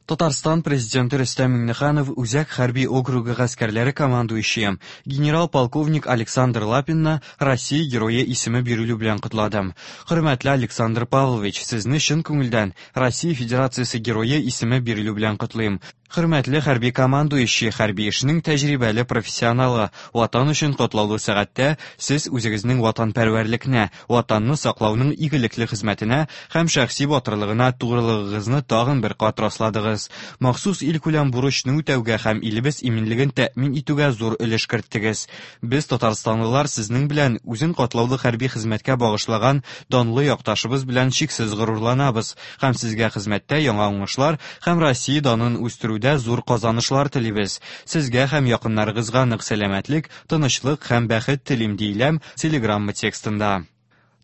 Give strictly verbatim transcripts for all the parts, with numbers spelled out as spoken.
Татарстан президенты Рөстәм Миңнеханов Үзәк хәрби округы гаскәрләре командующие генерал-полковник Александр Лапинны Россия Герое исеме бирелү белән котлады. Хөрмәтле Александр Павлович, сезне чын күңелдән Россия Федерациясе Герое исеме бирелү белән котлыйм. Хөрмәтле хәрби командующий, хәрби эшнең тәҗрибәле профессионалы, Ватан өчен катлаулы сәгатьтә сез үзегезнең ватанпәрвәрлекне, Ватанны саклауның игелекле хезмәтенә һәм шәхси батырлыгына тугрылыгыгызны тагын бер кат расладыгыз. Махсус илкүләм бурычны үтәүгә һәм илебез иминлеген тәэмин итүгә зур өлеш керттегез. Без, татарстанлылар, сезнең белән, үзен катлаулы хәрби хезмәткә багышлаган данлы якташыбыз белән чиксез горурланабыз һәм сезгә хезмәттә яңа уңышлар һәм Россия данын үстерүдә зур казанышлар телибез. Сезгә һәм якыннарыгызга нык сәламәтлек, тынычлык һәм бәхет телим, диелә телеграмма текстында.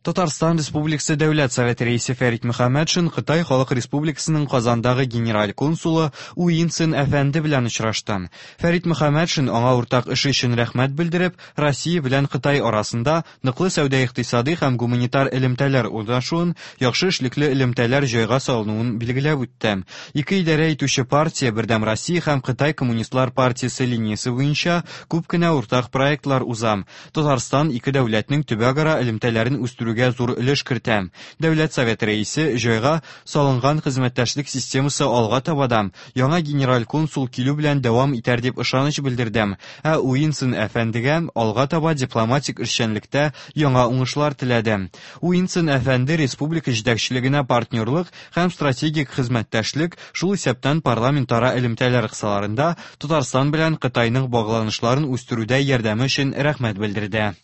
Татарстан Республикасы Дәүләт Советы рәисе Фәрит Мөхәммәтшин Кытай Халык Республикасының Казандагы генераль консулы Уинсен әфәнде белән очрашты. Фәрит Мөхәммәтшин аңа уртак эше өчен рәхмәт белдереп, Россия белән Кытай арасында ныклы сәүдә-икътисади һәм гуманитар элемтәләр урнашуын, яхшы эшлекле элемтәләр җайга салынуын билгеләп үтте. Ике идарә итүче партия Бердәм Россия һәм Кытай Коммунистлар партиясе линиясе буенча күп кенә уртак проектлар уза. Татарстан ике дәүләтнең төбәкара элемтәләрен үстерү зур өлеш кертә. Дәүләт Советы рәисе җайга салынган хезмәттәшлек системасы алга таба да яңа генераль консул килү белән дәвам итәр дип ышаныч белдерде. Ә Уинсон әфәндегә алга таба дипломатик эшчәнлектә яңа уңышлар теләде. Уинсон әфәнде республика җитәкчелегенә партнерлык һәм стратегик хезмәттәшлек, шул исәптән парламентара элемтәләр кысаларында Татарстан белән Кытайның багланышларын үстерүдә ярдәме өчен рәхмәт белдерде.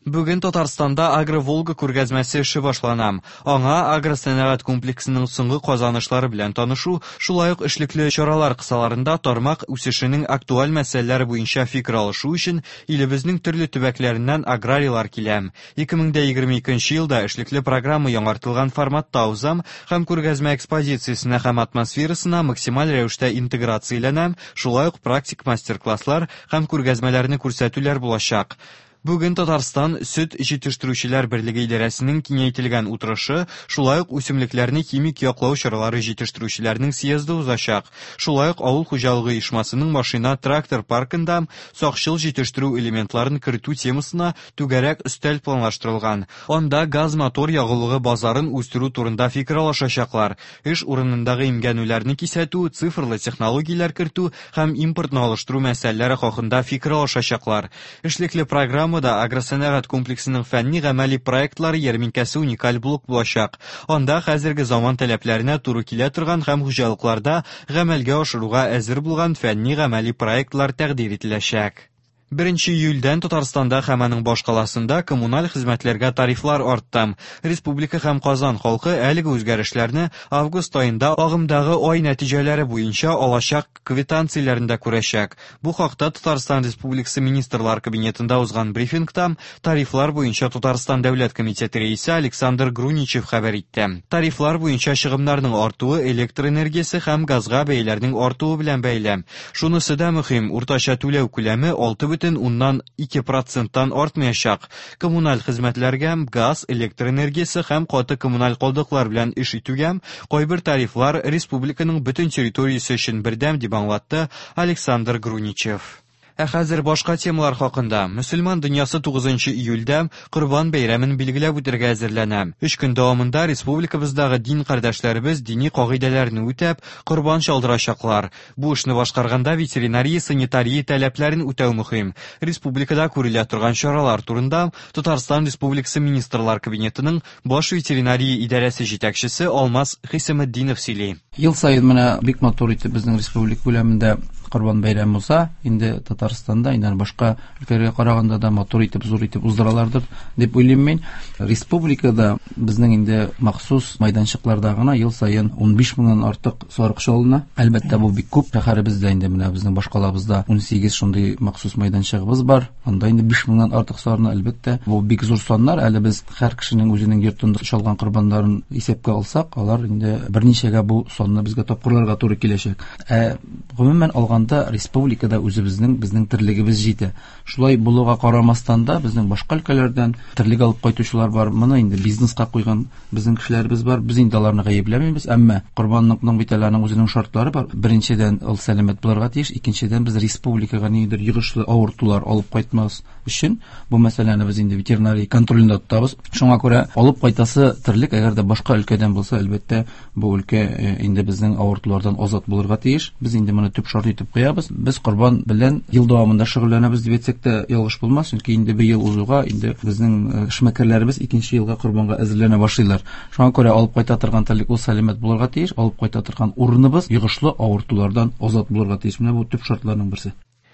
Бүген Татарстанда Агро-Волга күргәзмәсе эше башлана. Аңа агросәнәгать комплексының соңгы казанышлары белән танышу, шулай ук эшлекле чаралар кысаларында тармак үсешенең актуаль мәсьәләләре буенча фикер алышу өчен илебезнең төрле төбәкләреннән аграрийлар килә. ике мең егерме икенче елда эшлекле программа яңартылган форматта уза һәм күргәзмә экспозициясенә һәм атмосферасына максималь рәвештә интеграцияләнә, шулай ук практик мастер-класслар һәм күргәзмәләрне күрсәтүләр булачак. Бүген Татарстан Сөт җитештерүчеләр берлеге идарәсенең киңәйтелгән утырышы, шулай ук үсемлекләрне химик яклау чаралары җитештерүчеләрнең съезды узачак. Шулай ук авыл хуҗалыгы оешмасының машина-трактор паркында сакчыл җитештерү элементларын кертү темасына түгәрәк өстәл планлаштырылган. Анда газ-мотор ягулыгы базарын үстерү турында фикер алышачаклар. Эш урынындагы имгәнүләрне кисәтү, цифрлы технологияләр кертү һәм импортны алыштыру мәсьәләләре хакында фикер алышачаклар. Эшлекле программа да агросәнәгать комплексының фәнни гамәли проектлары ярминкәсе уникаль блок булачак. Анда хәзерге заман таләпләренә туры килә торган һәм хуҗалыкларда гамәлгә ашыруга әзер булган фәнни гамәли проектлар тәкъдир ителәчәк. Беренче июльдән Татарстанда һәм аның башкаласында коммуналь хезмәтләргә тарифлар артты. Республика һәм Казан халкы әлеге үзгәрешләрне август аенда агымдагы ай нәтиҗәләре буенча алачак квитанцияләрендә күрәчәк. Бу хакта Татарстан Республикасы Министрлар Кабинетында узган брифингта тарифлар буенча Татарстан Дәүләт комитеты рәисе Александр Груничев хәбәр итте. Тарифлар буенча чыгымнарның артуы электр энергиясе һәм газга бәяләрнең артуы белән бәйле. Шунысы да мөһим, уртача түләү күләме алты бөтен уннан ике проценттан артмаячак. Коммуналь хезмәтләргә газ, электр энергиясе һәм каты коммуналь калдыклар белән эш итүгә кайбер тарифлар республиканың бөтен территориясе өчен бердәм дип аңлатты Александр Груничев. Ә хәзер башка темалар хакында. Мөселман дөньясы тугызынчы июльдә Корбан бәйрәмен билгеләп үтәргә әзерләнә. Өч көн дәвамында республикабыздагы дин кардәшләребез дини кагыйдәләрне үтәп, корбан чалдырачаклар. Бу эшне башкарганда ветеринария, санитария таләпләрен үтәү мөһим. Республикада күрелә торган чаралар турында Татарстан Республикасы Министрлар Кабинетының баш ветеринария идарәсе җитәкчесе Алмаз Хисаметдинов сөйли. Ел саен менә бик матур итеп безнең республика күләмендә Корбан бәйрәме уза. Инде Татарстанда, инде башка өлкәләргә караганда да матур итеп, зур итеп уздыралардыр дип уйлыйм мин. Республикада безнең инде махсус майданчыкларда гына ел саен унбиш меңнән артык сарык чалына. Әлбәттә, бу бик күп. Шәһәребездә инде менә безнең башкалабызда унсигез шундый махсус майданчыгыбыз бар. Анда инде биш меңнән артык сарыны, әлбәттә, бу бик зур саннар. Әле без һәр кешенең үзенең йортында чалган корбаннарын исәпкә алсак, алар инде берничәгә бу санны безгә тапкырларга туры киләчәк. Ә гомумән алганда республикада үзебезнең безнең безнең терлегебез җитә. Шулай булуга карамастан да безнең башка өлкәләрдән терлек алып кайтучылар бар. Моны инде бизнеска куйган безнең кешеләребез бар. Без инде аларны гаепләмибез, әмма корбанлыкның бит әле аның үзенең шартлары бар. Беренчедән, ул сәламәт булырга тиеш, икенчедән, без республикага ниндидер йогышлы авыртулар алып кайтмас өчен бу мәсьәләне без инде ветеринария контролендә тотабыз. Шуңа күрә алып кайтасы терлек, әгәр дә башка өлкәдән булса, әлбәттә, бу өлкә инде безнең авыртулардан азат булырга тиеш. Без инде моны төп шарт итеп куябыз. Без корбан белән ел дәвамында шөгыльләнәбез дип әйтсәк тә ялгыш булмас, чөнки инде бер ел узуга инде безнең эшмәкәрләребез икенче елга корбанга әзерләнә башлыйлар. Шуңа күрә алып кайта торган терлек ул сәламәт булырга тиеш, алып кайта торган урыныбыз йогышлы авыртулардан азат булырга тиеш. Менә бу төп шартларның берсе.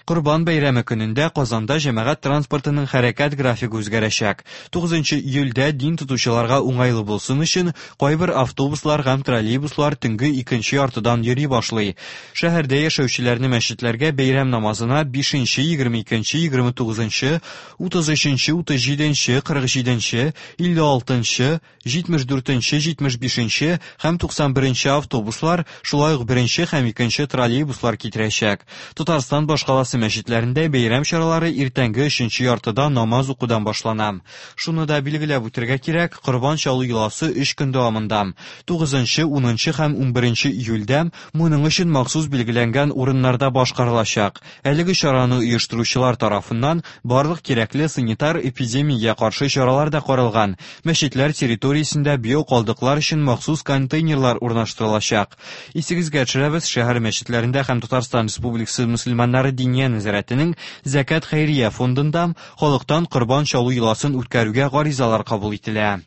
Корбан бәйрәме көнендә Казанда җәмәгать транспортының хәрәкәт графигы үзгәрәчәк. тугызынчы июльдә дин тотучыларга уңайлы булсын өчен кайбер автобуслар һәм троллейбуслар төнге икенче яртыдан йөри башлый. Шәһәрдә яшәүчеләрне мәчетләргә бәйрәм намазына бишенче, егерме икенче, егерме тугызынчы, утыз өченче, утыз җиденче, кырык җиденче, илле алтынчы, җитмеш дүртенче, җитмеш бишенче һәм туксан беренче автобуслар, шулай ук беренче һәм икенче троллейбуслар китерәчәк. Татарстан башкаласы мәчетләрендә бәйрәм чаралары иртәнге өченче яртыда намаз укудан башлана. Шуны да билгеләп үтәргә кирәк, корбан чалу йоласы өч көн дәвамында. тугызынчы, унынчы һәм унберенче июльдә моның өчен махсус билгеләнгән урыннарда башкарылачак. Әлеге чараны оештыручылар тарафыннан барлык кирәкле санитар эпидемиягә каршы чаралар да каралган. Мәчетләр территориясендә биокалдыклар өчен махсус контейнерлар урнаштырылачак. Исегезгә төшерәбез, шәһәр мәчетләрендә һәм Татарстан Республикасы мөселманнары Диния нәзарәтенең Зәкят хәйрия фондында халыктан корбан чалу йоласын үткәрүгә гаризалар кабул ителә.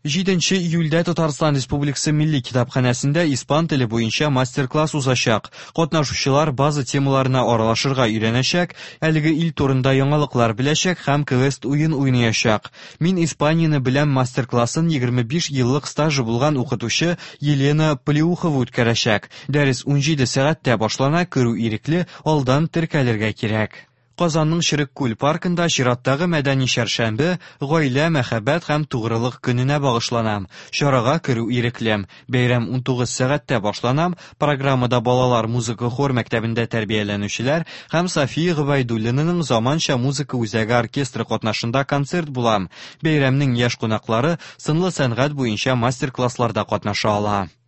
Җиденче июльдә Татарстан Республикасы Милли китапханәсендә испан теле буенча мастер-класс узачак. Катнашучылар база темаларына аралашырга өйрәнәчәк, әлеге ил турында яңалыклар беләчәк һәм квест уен уйнаячак. Мин Испанияне беләм мастер-классын егерме биш еллык стажы булган укытучы Елена Плеухова үткәрәчәк. Дәрес унҗиде сәгатьтә башлана, керү ирекле, алдан теркәлергә кирәк. Казанның Черек-Күл паркында чираттагы мәдәни чәршәмбе гаилә, мәхәббәт һәм тугрылык көненә багышлана. Чарага керү ирекле. Бәйрәм унтугыз сәгатьтә башлана. Программада балалар музыка хор мәктәбендә тәрбияләнүчеләр һәм София Гобәйдуллинаның заманча музыка үзәге оркестры катнашында концерт була. Бәйрәмнең яшь кунаклары сынлы сәнгать буенча мастер-классларда катнаша ала.